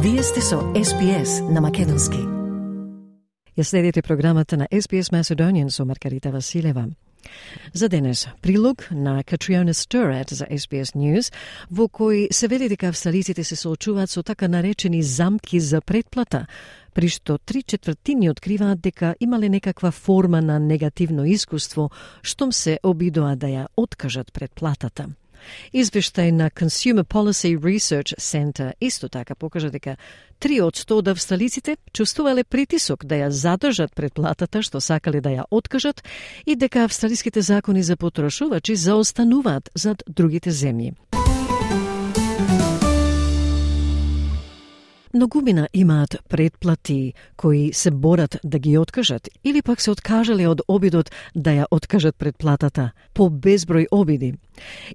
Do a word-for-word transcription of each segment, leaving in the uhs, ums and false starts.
Вие сте со Ес Би Ес на македонски. Ја следите програмата на Ес Би Ес Macedonian со Маргарита Василева. За денес, прилог на Катриона Стерат за Ес Би Ес News, во кој се вели дека австралиците се соочуваат со така наречени замки за претплата, при што три четвртини откриваат дека имале некаква форма на негативно искуство, штом се обидоа да ја откажат претплатата. Извештај на Consumer Policy Research Center исто така покажа дека три од сто од австралиците чувствувале притисок да ја задржат претплатата што сакале да ја откажат и дека австралиските закони за потрошувачи заостануваат зад другите земји. Многумина имаат претплати кои се борат да ги откажат или пак се откажале од обидот да ја откажат претплатата по безброј обиди.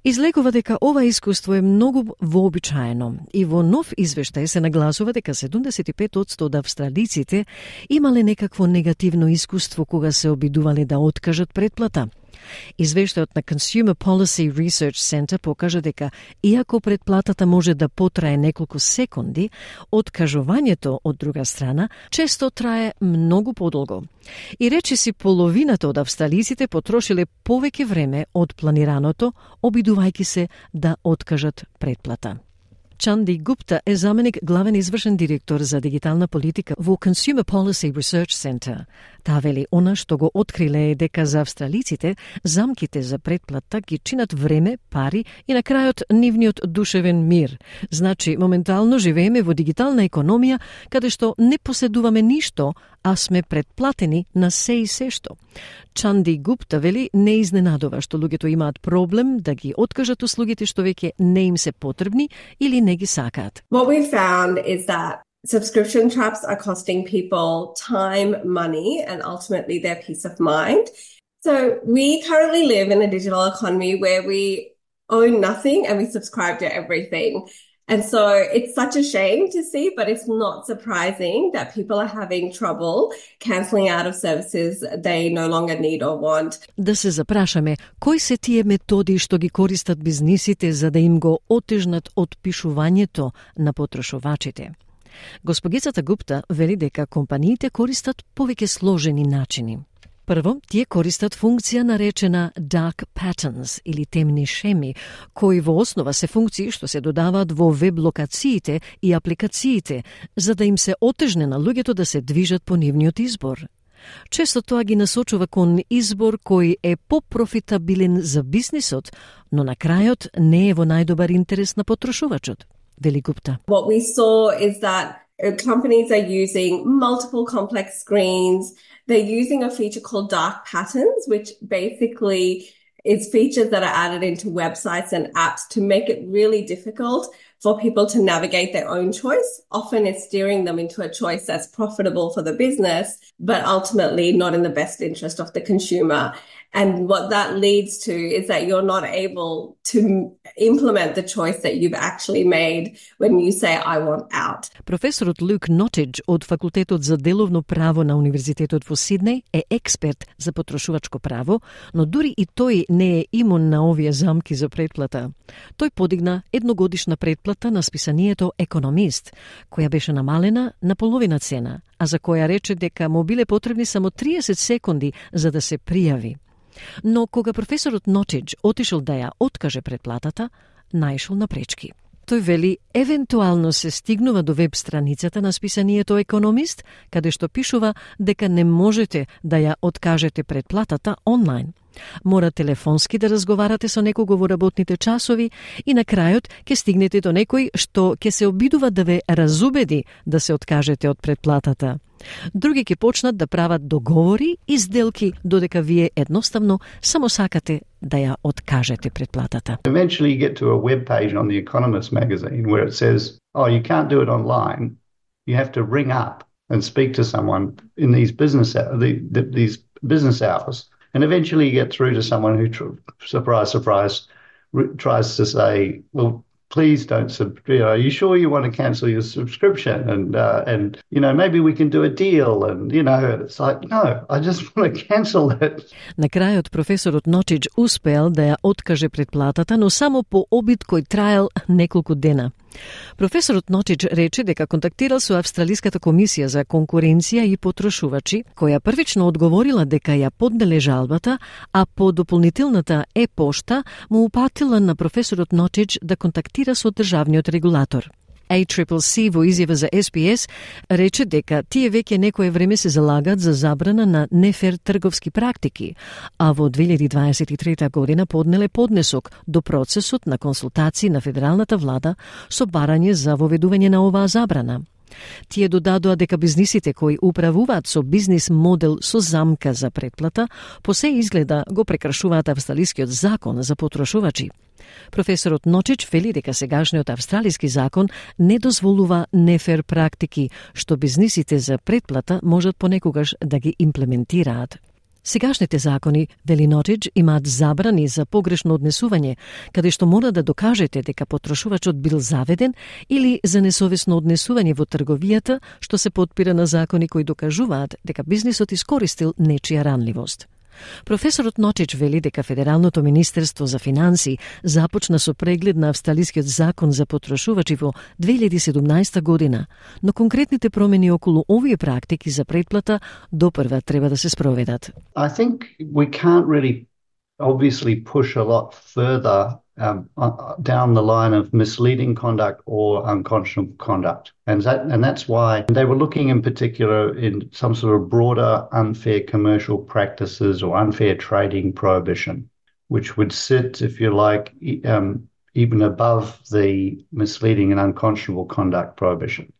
Излегува дека ова искуство е многу вообичаено и во нов извештај се нагласува дека седумдесет и пет одсто од австралиците имале некакво негативно искуство кога се обидувале да откажат претплата. Извештајот на Consumer Policy Research Center покажа дека, иако претплатата може да потрае неколку секунди, откажувањето од друга страна често трае многу подолго. И речиси половината од австралиците потрошиле повеќе време од планираното, обидувајќи се да откажат претплата. Чанди Гупта е заменик главен извршен директор за дигитална политика во Consumer Policy Research Center. Таа вели она што го откриле е дека за австралиците замките за претплата ги чинат време, пари и на крајот нивниот душевен мир. Значи, моментално живееме во дигитална економија каде што не поседуваме ништо, а сме претплатени на се и се што. Чанди Гупта вели не изненадува што луѓето имаат проблем да ги откажат услугите што веќе не им се потребни или не ги сакаат. What we found is that subscription traps are costing people time, money, and ultimately their peace of mind. So we currently live in a digital economy where we own nothing and we subscribe to everything. And so it's such a shame to see, but it's not surprising that people are having trouble cancelling out of services they no longer need or want. Да се запрашаме, кои се тие методи што ги користат бизнисите за да им го отежнат отпишувањето на потрошувачите? Госпогицата Гупта вели дека компаниите користат повеќе сложени начини. Прво, тие користат функција наречена dark patterns или темни шеми, кои во основа се функции што се додаваат во веб локациите и апликациите, за да им се отежне на луѓето да се движат по нивниот избор. Често тоа ги насочува кон избор кој е попрофитабилен за бизнисот, но на крајот не е во најдобар интерес на потрошувачот, вели Гупта. What we saw is that companies are using multiple complex screens. They're using a feature called dark patterns, which basically is features that are added into websites and apps to make it really difficult for people to navigate their own choice. Often it's steering them into a choice that's profitable for the business, but ultimately not in the best interest of the consumer. And what that leads to is that you're not able to implement the choice that you've actually made when you say, I want out. Професорот Люк Нотидж од Факултетот за деловно право на Универзитетот во Сиднеј е експерт за потрошувачко право, но дури и тој не е имун на овие замки за претплата. Тој подигна едногодишна претплата на списанието Економист, која беше намалена на половина цена, а за која рече дека му биле потребни само триесет секунди за да се пријави. Но кога професорот Нотидж отишол да ја откаже претплатата, наишол на пречки. Тој вели, евентуално се стигнува до веб страницата на списанието Економист, каде што пишува дека не можете да ја откажете претплатата онлайн. Мора телефонски да разговарате со некого во работните часови и на крајот ќе стигнете до некој што ќе се обидува да ве разубеди да се откажете од претплатата. Други ќе почнат да прават договори и сделки додека вие едноставно само сакате да ја откажете претплатата. Eventually you get to a web page on The Economist magazine where it says, oh, you can't do it online. You have to ring up and speak to someone in these business these business hours. And eventually you get through to someone who, tr- surprise, surprise, r- tries to say, well, please don't, sub- you know, are you sure you want to cancel your subscription? And, uh, and, you know, maybe we can do a deal. And, you know, it's like, no, I just want to cancel it. На крајот професорот Нотидж успеал да ја откаже претплатата, но само по обид кој траел неколку дена. Професорот Нотич рече дека контактирал со Австралиската комисија за конкуренција и потрошувачи, која првично одговорила дека ја поднеле жалбата, а по дополнителната е-пошта му упатила на професорот Нотич да контактира со државниот регулатор. A C C C во изјава за С Б С рече дека тие веќе некое време се залагат за забрана на нефер трговски практики, а во две илјади дваесет и трета година поднеле поднесок до процесот на консултации на федералната влада со барање за воведување на оваа забрана. Тие додадоа дека бизнисите кои управуваат со бизнис модел со замка за претплата, по се изгледа го прекршуваат австралискиот закон за потрошувачи. Професорот Нотич вели дека сегашниот австралиски закон не дозволува нефер практики, што бизнисите за претплата можат понекогаш да ги имплементираат. Сегашните закони, вели Нотич, имаат забрани за погрешно однесување, каде што мора да докажете дека потрошувачот бил заведен, или за несовесно однесување во трговијата, што се потпира на закони кои докажуваат дека бизнисот искористил нечија ранливост. Професорот Нотич вели дека Федералното министерство за финансии започна со преглед на австралискиот закон за потрошувачи во две илјади и седумнаесета година, но конкретните промени околу овие практики за претплата допрва треба да се спроведат. I think we can't really obviously push a lot further um, down the line of misleading conduct or unconscionable conduct. And that, and that's why they were looking in particular in some sort of broader unfair commercial practices or unfair trading prohibition, which would sit, if you like, um, even above the misleading and unconscionable conduct prohibition.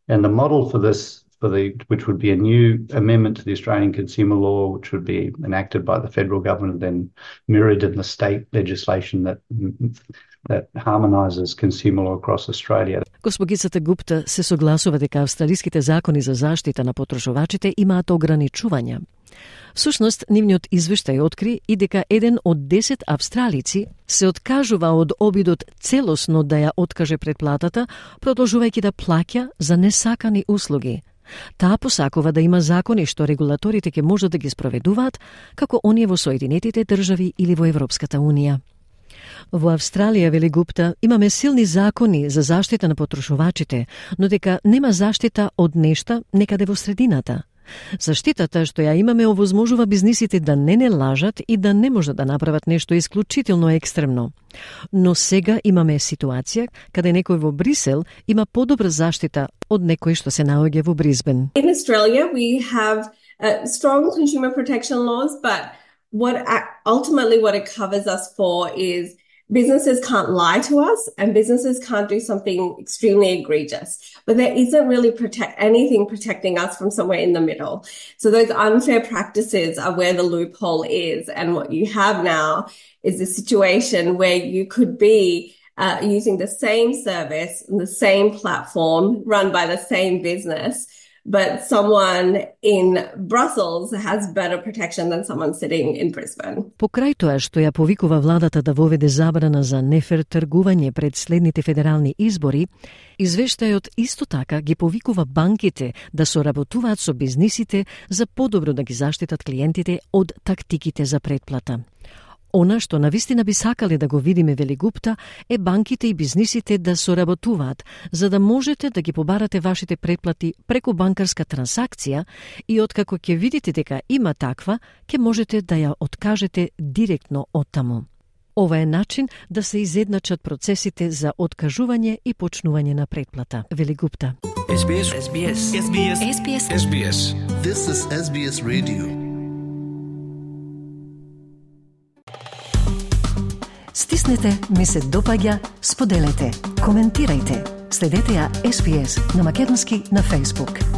And the model for this, for the which would be a new amendment to the Australian consumer law, which would be enacted by the federal government and then mirrored in the state legislation that that harmonises consumer law across Australia. Госпогицата Гупта се согласува дека австралиските закони за заштита на потрошувачите имаат ограничувања. Всушност, нивниот извештај откри и дека еден од десет австралици се откажува од обидот целосно да ја откаже претплатата, продолжувајќи да плаќа за несакани услуги. Таа посакува да има закони што регулаторите ќе можат да ги спроведуваат, како оние во Соединетите држави или во Европската Унија. Во Австралија, вели Гупта, имаме силни закони за заштита на потрошувачите, но дека нема заштита од нешта некаде во средината. Заштитата што ја имаме овозможува бизнисите да не не лажат и да не можат да направат нешто исклучително екстремно. Но сега имаме ситуација каде некој во Брисел има подобра заштита од некој што се наоѓа во Бризбен. In Australia we have uh, strong consumer protection laws, but what ultimately what it covers us for is businesses can't lie to us and businesses can't do something extremely egregious. But there isn't really protect anything protecting us from somewhere in the middle. So those unfair practices are where the loophole is. And what you have now is a situation where you could be uh, using the same service, the same platform run by the same business, but someone in Brussels has better protection than someone sitting in Brisbane. Покрај тоа што ја повикува владата да воведе забрана за нефер тргување пред следните федерални избори, извештајот исто така ги повикува банките да соработуваат со бизнисите за подобро да ги заштитат клиентите од тактиките за претплата. Она што навистина би сакале да го видиме, вели Гупта, е банките и бизнисите да соработуваат, за да можете да ги побарате вашите претплати преку банкарска трансакција и откако ќе видите дека има таква, ќе можете да ја откажете директно од таму. Ова е начин да се изедначат процесите за откажување и почнување на претплата, вели Гупта. С Б С. С Б С. С Б С. С Б С. С Б С. This is S B S Radio. Стиснете, ми се допаѓа, споделете, коментирајте. Следете ја С Б С на македонски на Facebook.